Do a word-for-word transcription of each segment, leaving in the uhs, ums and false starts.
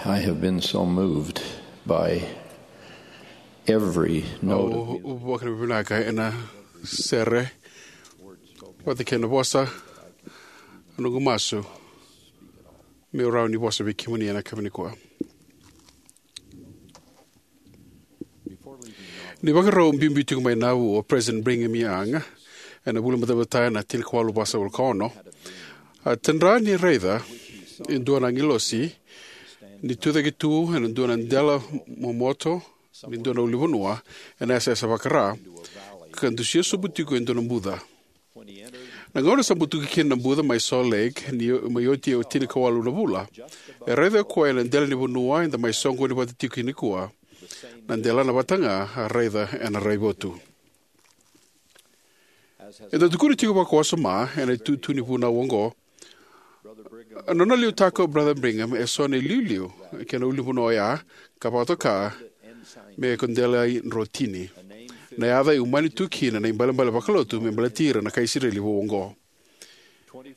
I have been so moved by every note of music. Au vakavinavinaka ena sere vata kei na vosa, na noqu masu meu rawa ni vosa vei kemuni ena yakavi nikua. Ni vakarau biubiu tiko mai Nauvoo o President Brigham Young ena vula ni Batabata ena tinikawalu vasagavulu ka ono, a tadra ni raica e dua na agilosi ni tucake tu ena dua na dela momoto ni dua na ulunivanua ena yasayasa vaka-Ra, ka dusia sobu tiko e dua na buca. Na gauna sa butuka kina na buca mai Salt Lake, ni mai oti e tinikawalu na vula, e raica o koya ena dela ni vanua eda mai soqoni vata tiko nikua na delana vata ga a raica ena raivotu. Eda tukuna tiko vakawasoma ena itutu ni vunau oqo, na nona liutaka o Brother Brigham e so na iliuliu kei na ulunivanua oya, ka vakatoka me ko Delai Drotini, na yaca e umani tu kina na ibalebale vakalotu me baleti ira na kai Isireli vou oqo.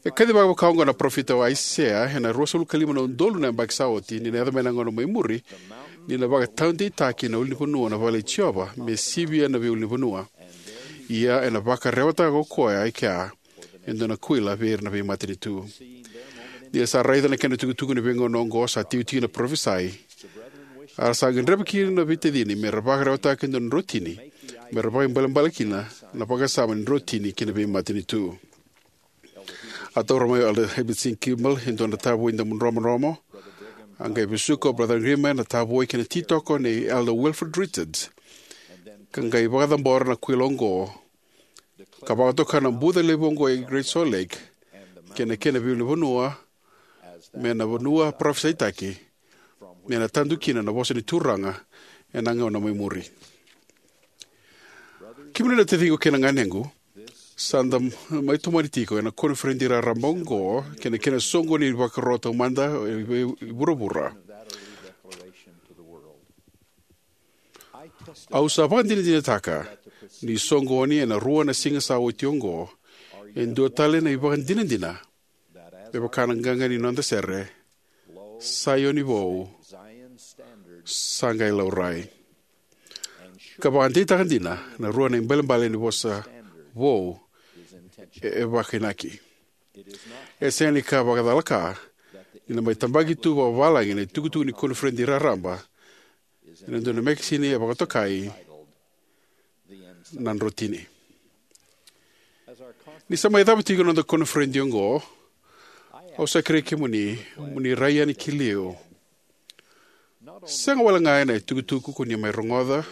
E kacivaka vaka oqo na parofita o Aisea ena ruasagavulu ka lima na udolu na yabaki sa oti, ni na yaco mai na gauna mai muri, ni na vakataudeitaki na ulunivanua na vale i Jiova me sivia na veiulunivanua. Ia ena vakarewataka ko koya e kea e dua na kuila vei ira na veimatanitu. Ni ra sa raica na kena itukutuku ena veigauna oqo, sa tikitikina na parofisai, a ra sa gadreva kina na veitacini me ra vakarewataka e dua na drotini me ra vakaibalebale kina na vakasama ni drotini ki na veimatanitu. A taura mai o Elder Heber C. Kimball e dua na tavoi damu dromodromo. A qai vesuka o Brother Brigham ena tavoi kei na titoko nei Elder Wilford Richards, ka qai vakacabora na kuila oqo, ka vakatoka na buca levu oqo e Great Salt Lake kei na kena veiulunivanua me na vanua parofisaitaki me na tadu kina na vosa ni Turaga ena gauna mai muri. Kemuni na taciqu kei na ganequ, sa da mai tomani tiko ena koniferedi raraba oqo kei na kena soqoni ni vakaro taumada e vuravura. Au sa vakadinadinataka ni soqoni ena rua na siga sa oti oqo e dua tale na ivakadinadina, me vaka na qaqa ni noda sere, Saioni vou sa qai laurai. Ka vakadeitaka dina na rua na ibalebale ni vosa vou e, e vakainaki. E sega ni ka vakacalaka ni na mai tabaki tu vakavalagi na itukutuku ni koniferedi raraba ena dua na mekasini e vakatokai na drotini. Ni sa mai cava tiko na noda koniferedi oqo, au sa kerei kemuni mo ni rai yani ki liu, sega wale ga ena itukutuku ko ni mai rogoca,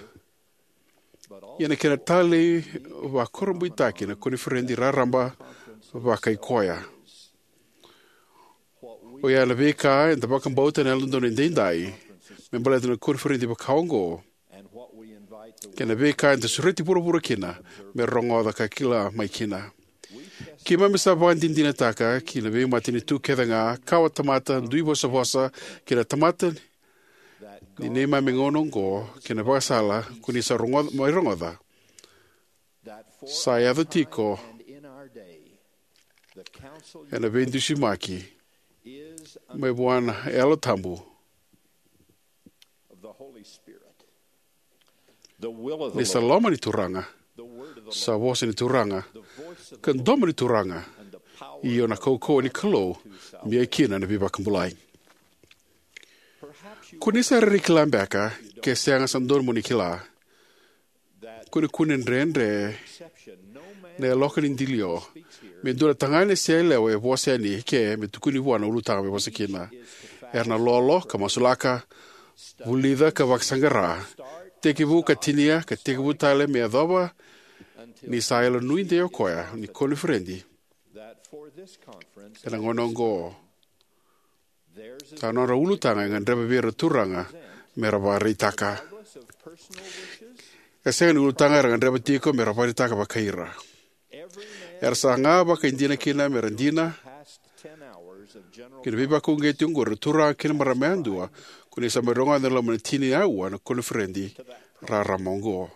ia na kena talei vakurabuitaki na koniferedi raraba vakaikoya. Oya na veika eda vakabauta ena Yalododonu Edaidai me baleta na koniferedi vaka oqo, kei na veika eda sureti vuravura kina me rogoca ka kila mai kina. Keimami sa vakadinadinataka ki na veimatanitu kece ga, kawa tamata, dui vosavosa, kei na tamata ni neimami gauna oqo, kei na vakasala ko ni sa rogoca, mai rogoca, sa yaco tiko ena veidusimaki mai vua na Yalo Tabu. Ni sa loma ni Turaga, sa vosa ni Turaga, ka domo ni Turaga, io na kaukauwa ni Kalou me ia kina na veivakabulai. Ko ni sa rairai kila beka, ke sega sa dodonu mo ni kila, kunekune dredre na yaloka ni dilio me dua na tagane se yalewa e vosa yani ke me tukuni vua na ulutaga me vosa kina. Era na lolo ka masulaka, vulica ka vakasaqara, tekivu ka tinia ka tekivu tale me yacova ni sa yalo nuidei o koya ni koniferedi ena gauna oqo sa nodra ulutaga e gadreva vei ira na turaga me ra vakaraitaka. E sega ni ulutaga era gadreva tiko me ra vakaraitaka vakai ira. Era saga vakaidina kina me ra dina ki na veivakauqeti oqori na turaga kei na marama yadua ko ni sa mai rogoca ena loma ni tini na aua na koniferedi rarama oqo.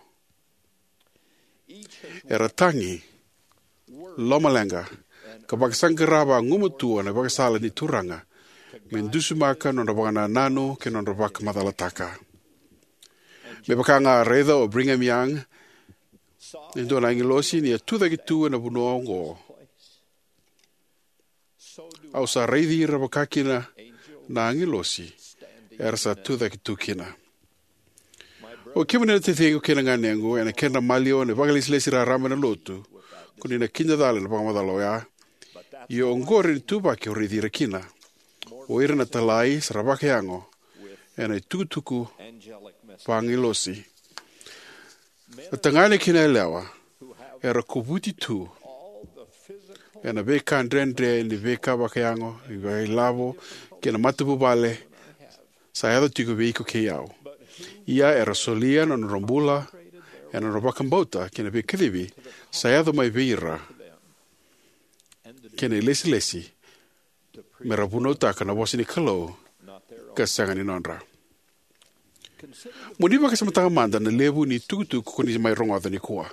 Era tagi, lomaleqa, ka vakasaqara vagumatua na ivakasala ni Turaga me dusimaka na nodra vakanananu kei na nodra vakamacalataka. Me vaka ga a raica o Brigham Young, e dua na agilosi ni a tucake tu ena vanua oqo, au sa raici ira vakakina na agilosi era sa tucake tu kina. O kemuni na taciqu kei na ganequ, ena kedra maliwa na vakailesilesi raraba ena lotu, ko ni na kidacala ena vakamacala oya. Ia oqori na ituvaki au raici ira kina. O ira na italai sa ra vakayago ena itukutuku vaagilosi. Na tagane kei na yalewa era kovuti tu ena veika dredre ni veika vakayago, ni vakailavo, kei na matavuvale sa yaco tiko vei iko kei au. Ia era solia na nodra bula ena nodra vakabauta kei na veikacivi sa yaco mai vei ira, kei na ilesilesi me ra vunautaka na vosa ni Kalou ka sega ni nodra. Mo ni vakasamataka mada na levu ni itukutuku ko ni mai rogoca nikua.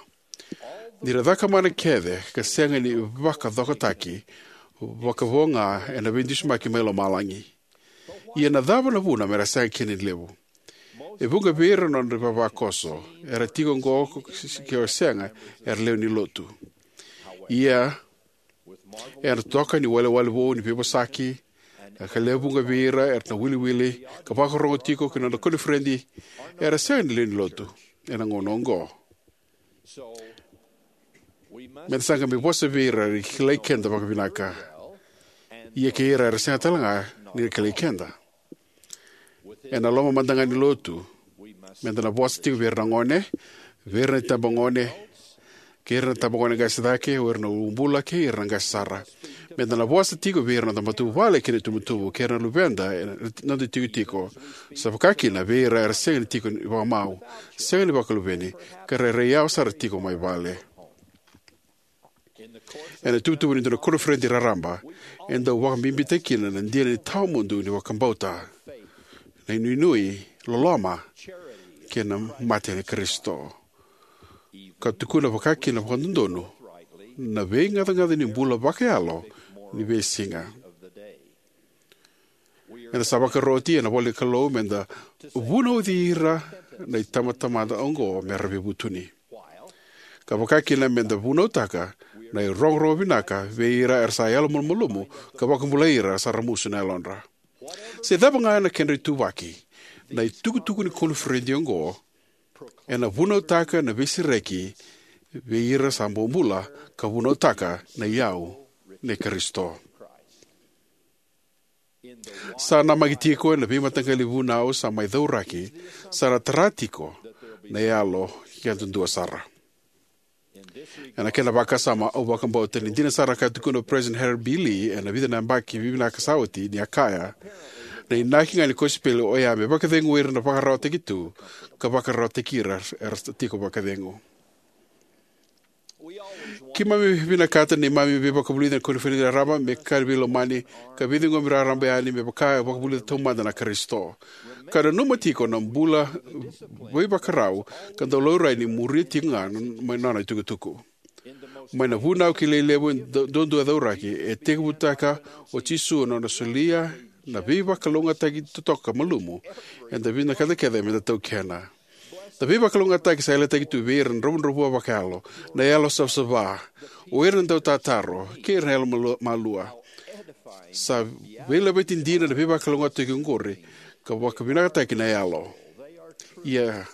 Ni ra cakamana kece ka sega ni vakacokotaki, vakavo ga ena veidusimaki mai lomalagi. Ia na cava na vuna me ra sega kina ni levu? E vuqa vei ira na nodra ivavakoso era tiko oqo, ke o sega era lewe ni lotu. Ia ena toka ni walewale vou ni veivosaki, ka lewe vuqa vei ira era na wiliwili ka vakarogo tiko ki na nodra koniferedi, era sega ni lewe ni lotu ena gauna oqo. Meda sa qai mai vosa vei ira era kilai keda vakavinaka, ia kei ira era sega tale ga ni ra kilai keda. Ena loma mada ga ni lotu, meda na vosa tiko vei ira na gone, vei ira na itabagone, kei ira na itabagone qase cake, o ira na uabula kei ira na qase sara. Meda na vosa tiko vei ira na noda matavuvale kei na itubutubu, kei ira na luveda ena noda itikotiko, sa vaka kina vei ira era sega ni tiko ni vakamau, sega ni vakaluveni, ka rairai yawa sara tiko mai vale. Ena ituvatuva ni dua na koniferedi raraba, e dau vakabibitaki kina na dina ni tawamudu ni vakabauta, na inuinui, loloma, kei na mate ni Karisito, ka tukuna vakakina vakadodonu na veigacagaca ni bula vakayalo ni veisiga. Eda sa vakaroti ena ivola ni Kalou meda vunauci ira na itabatamata oqo me ra veivutuni, ka vakakina meda vunautaka na irogorogo vinaka vei ira era sa yalomalumalumu, ka vakabulai ira sa ramusu na yalodra. Se cava ga na kedra ituvaki, na itukutuku ni koniferedi oqo ena vunautaka na veisereki vei ira sa bobula, ka vunautaka na iyau nei Karisito. Sa namaki tiko ena veimataqali vunau sa mai cauraki, sa na tara tiko na yalo yadudua sara. Ena kena vakasama, au vakabauta ni dina sara ka tukuna o President Harold B. Lee ena vica na yabaki vivinaka sa oti, ni a kaya, na inaki ga ni kosipeli oya me vakacegui ira na vakararawataki tu, ka vakararawataki ira era sa tiko vakacegu. Keimami vinakata na neimami veivakavulici ena koniferedi raraba me ka ni veilomani ka veiciqomi raraba yani, me vaka e vakavulica taumada na Karisito, ka nanuma tiko na bula veivakarau ka dau laurai ni muria tiko ga mai na nona itukutuku. Mai na vunau kilai levu e du- duadua e cauraki, e tekivutaka o Jisu na nona solia na veivakalougatataki totoka malumu eda vinakata kece meda taukena. Na veivakalougatataki sa yalataki tu vei ira na dravudravua vakayalo, na yalo savasava, o ira na dautataro, kei ira na yalo malu- malua. Sa veilaveti dina na veivakalougatataki oqori ka vakavinakataki na yalo. Ia,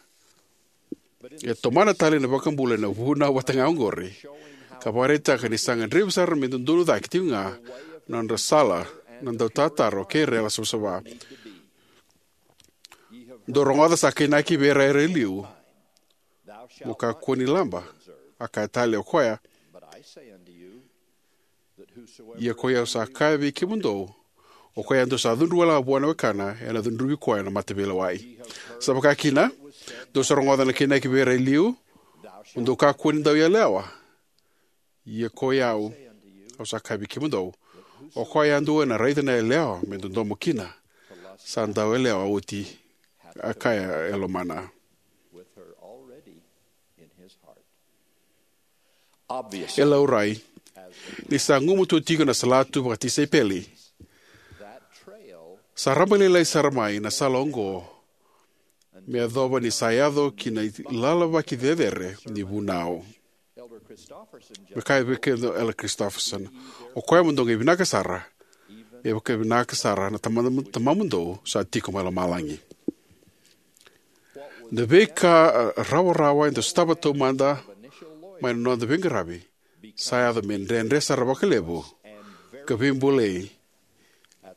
e tomana tale na iVakabula ena vunau vata ga oqori, ka vakaraitaka ni sa gadrevi sara me dodonu cake tiko ga na nodra sala na dautataro kei ira na yalo savasava. Dou rogoca sa kainaki vei ira era e liu, mo kakua ni laba. A kaya tale o koya, ia koi au sa kaya vei kemudou, o koya yadua sa cudru wale ga vua na wekana, ena cudruvi koya na mataveilewai. Sa vaka kina, dou sa rogoca na kainaki vei ira e liu, mo dou kakua ni dau yalewa. Ia koi au, au sa kaya vei kemudou, o koya yadua ena raica na yalewa me dodomo kina, sa dau yalewa oti, a kaya e lomana. E laurai, ni sa gumatua tiko na salatu vakatisaipeli, Sa rabailailai sara mai na sala oqo me yacova ni sa yaco ki na ilalavaki cecere ni vunau. Me kaya vei keda o Elder Christofferson, o koya mo dou qai vinaka sara, me vaka vinaka sara na Tama-, Tamamudou sa tiko mai lomalagi. Na veika, a, rawarawa eda sotava taumada mai na noda veiqaravi sa yaco me dredre sara vakalevu ka veibulai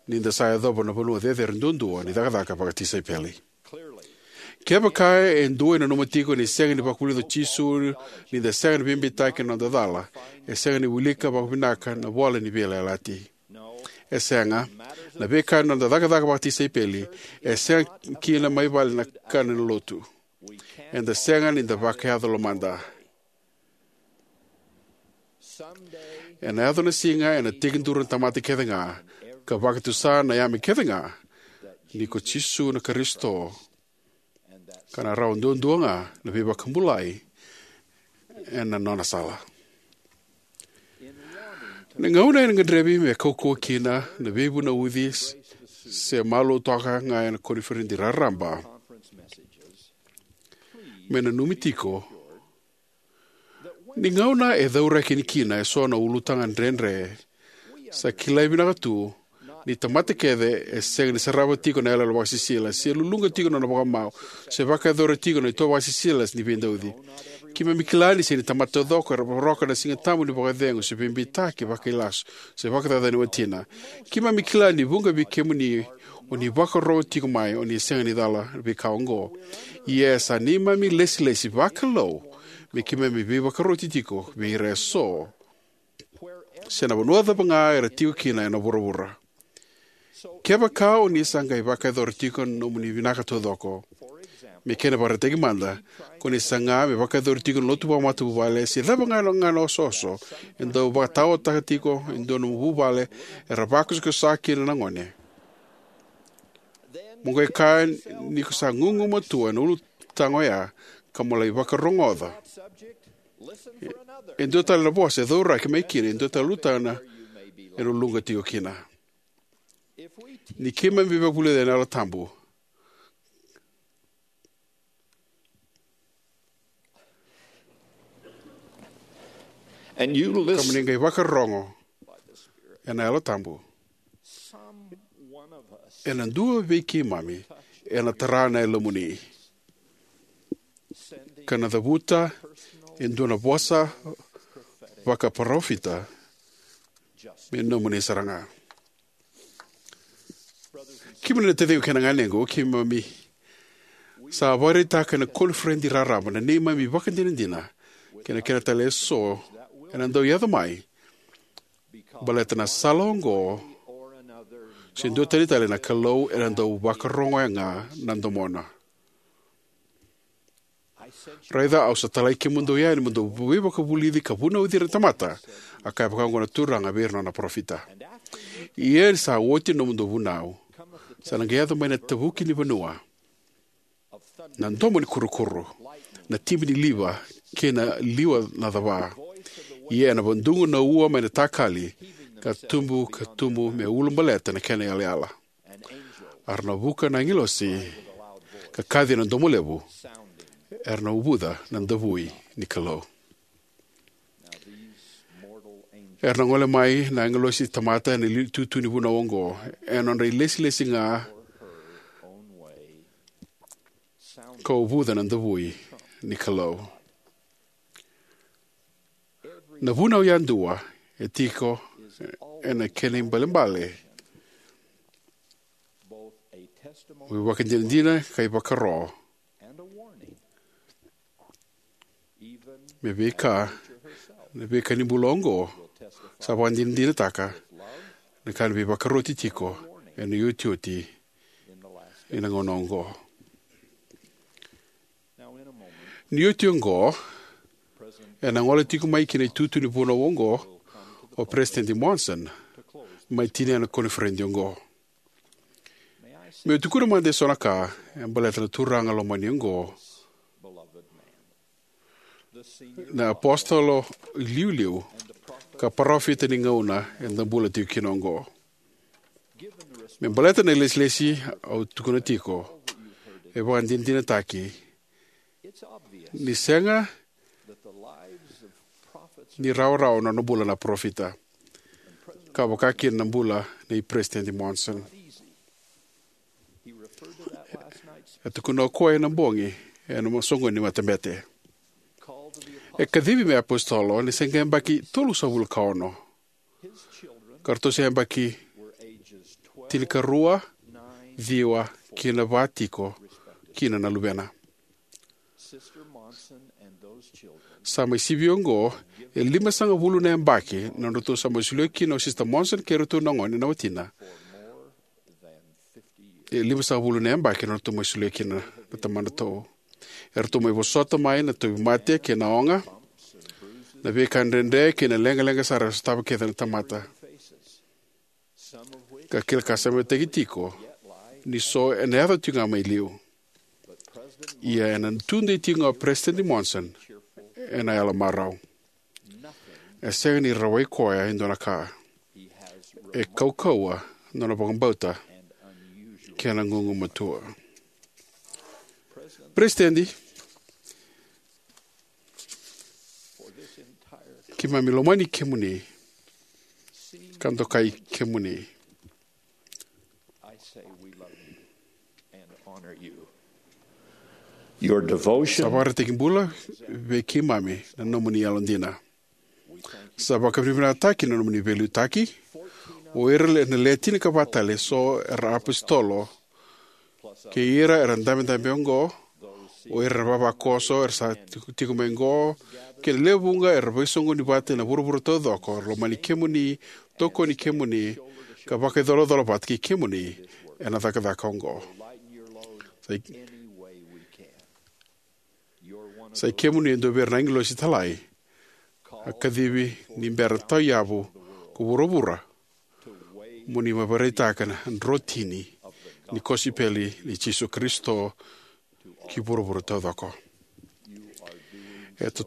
ni da sa yacova na vanua cecere duadua ni cakacaka vakatisaipeli. Kevaka e dua e nanuma tiko ni sega ni vakavulica o Jisu ni da sega ni veibeitaki ena noda cala, e sega ni wilika vakavinaka na ivola ni veiyalayalati. E sega, na veika ena noda cakacaka vakatisaipeli e sega kina mai vale na ka ni lotu. Eda sega ni da vakayaco lomada. Ena yaco na siga ena tekiduru na tamata kece ga ka vakatusa na yame kece ga ni ko Jisu na Karisito, ka na rawa duadua ga na veivakabulai ena nona sala. Na gauna ena gadrevi me kaukauwa kina na veivunauci s-, se malua toka ga ena koniferedi raraba, me nanumi tiko ni gauna e cauraki kina eso na ulutaga dredre, sa kilai vinaka tu ni tamata kece e sega ni sarava tiko na iyaloyalo vakasisila, se luluqa tiko na nona vakamau, se vakayacora tiko na itovo vakasisila ni veidauci. Keimami kila ni sega ni tamata taucoko era voroka na Siga Tabu ni vakacegu, se veibeitaki vakailasu, se vakacacani watina. Keimami kila ni vuqa vei kemuni o ni vakarorogo tiko mai o ni sega ni cala na veika oqo. Ia sa neimami ilesilesi vakalou me keimami veivakaroti tiko vei ira eso, se na vanua cava ga era tiko kina ena vuravura. Kevaka o ni sa qai vakayacora tiko na nomuni vinaka taucoko, me kena ivakaraitaki mada, ko ni saga me vakayacori tiko na lotu vakamatavuvale se cava ga na, ga na osooso e dau vakataotaka tiko e dua na nomu vuvale era vakosakosa kina na gone, mo qai kaya ni ko sa gugumatua ena ulutaga oya ka mo lai vakarogoca e dua tale na vosa e cauraki mai kina e dua tale na ulutaga ena luluqa tiko kina. Ni keimami veivakavulici ena Yalo Tabu, and you ka mo listen, ni qai vakarorogo ena Yalo Tabu, some one of us ena dua vei keimami ena tara na yalomuni ka na cavuta e dua na vosa vakaparofita me nomuni sara ga. Kemuni na taciqu kei na ganequ, keimami sa vakaraitaka ena koniferedi raraba na neimami ivakadinadina kei na kena tale eso ena dau yaco mai baleta na sala oqo se dua tani tale na Kalou ena dau vakarogoya ga na domona. Raica, au sa talai kemudou yani mo dou veivakavulici ka vunauci ira na tamata, a kaya vaka oqo na Turaga vei ira na nona parofita. Ia ni sa oti na nomudou vunau, sa na qai yaco mai na tavuki ni vanua, na domo ni kurukuru, na tibi ni liva kei na liwa na cava. Ia ena vadugu na ua mai na takali, ka tubu ka tubu me ulabaleta na kena iyalayala. A ra na vuka na agilosi ka kaci ena domo levu, era na uvuca na davui ni Kalou. Era na gole mai na agilosi tamata ena li-, tutu ni vunau oqo, ena nodra ilesilesi ga ka uvuca na davui ni Kalou. Na vunau yadua e tiko ena kena ibalebale, ivakadinadina ka ivakaro me veika na veika ni bula oqo sa vakadinadinataka na ka ni veivakaroti tiko ena iotioti ni na gauna oqo. Ni oti oqo, ena gole tiko mai ki na itutu ni vunau oqo o Peresitedi Monson, mai tinia na koniferedi oqo. Meu tukuna mada eso na ka e baleta na turaga lomani oqo, na apositolo iliuliu ka parofita ni gauna eda bula tiko kina oqo. Me baleta na ilesilesi au tukuna tiko, e vakadinadinataki ni sega ni rawarawa na nona bula na parofita, ka vaka kina na bula nei Peresitedi Monson. E tukuna o koya ena bogi ena soqoni ni matabete. E kacivi me iapositolo ni se qai yabaki tolusagavulu ka ono, ka ratou se yabaki tinikarua, ciwa, kei na va tiko kina na luvena. Sa mai sivi oqo e limasagavulu na yabaki na nodratou sa mai solia kina o Sisita Monson kei iratou na gone na watina. E limasagavulu na yabaki na nodratou mai solia kina na tamadratou. Eratou mai vosota mai na tauvimate kei na oga, na veika dredre kei na leqaleqa sara e sotava kece na tamata. Ka kila ka sa mai tiko ni so ena yaco tiko ga mai liu. Ia ena tudei tiko ga o Peresitedi Monson ena yalo marau. E sega ni rawai koya e dua na ka. E kaukauwa na nona vakabauta kei na gugumatua. Peresitedi, keimami lomani kemuni ka dokai kemuni. Your devotion. Sa vakaraitaki bula vei keimami na nomuni yalodina. Sa vakavinavinakataki na nomuni veiliutaki. O ira na le tinikava tale eso era apositolo, kei ira era dabedabe oqo, o ira na vavakoso era sa tiko, tiko mai oqo, kei na lewe vuqa era veisoqoni vata ena vuravura taucoko, era lomani kemuni, tokoni kemuni, ka vakaicolacola vata kei kemuni ena cakacaka oqo. Sa i, sa i kemuni e dua vei ira na agilosi talai a kacivi ni bera tauyavu ko vuravura mo ni mai vakaraitaka na drotini ni kosipeli ni Jisu Karisito ki vuravura taucoko. E to,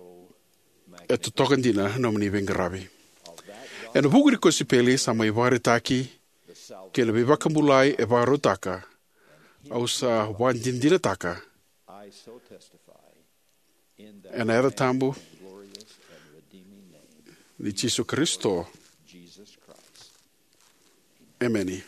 e totoka dina na nomuni veiqaravi. Ena vuku ni kosipeli sa mai vakaraitaki kei na veivakabulai e vakarautaka, au sa vakadinadinataka ena yaca tabu ni Jisu Karisito. Emeni.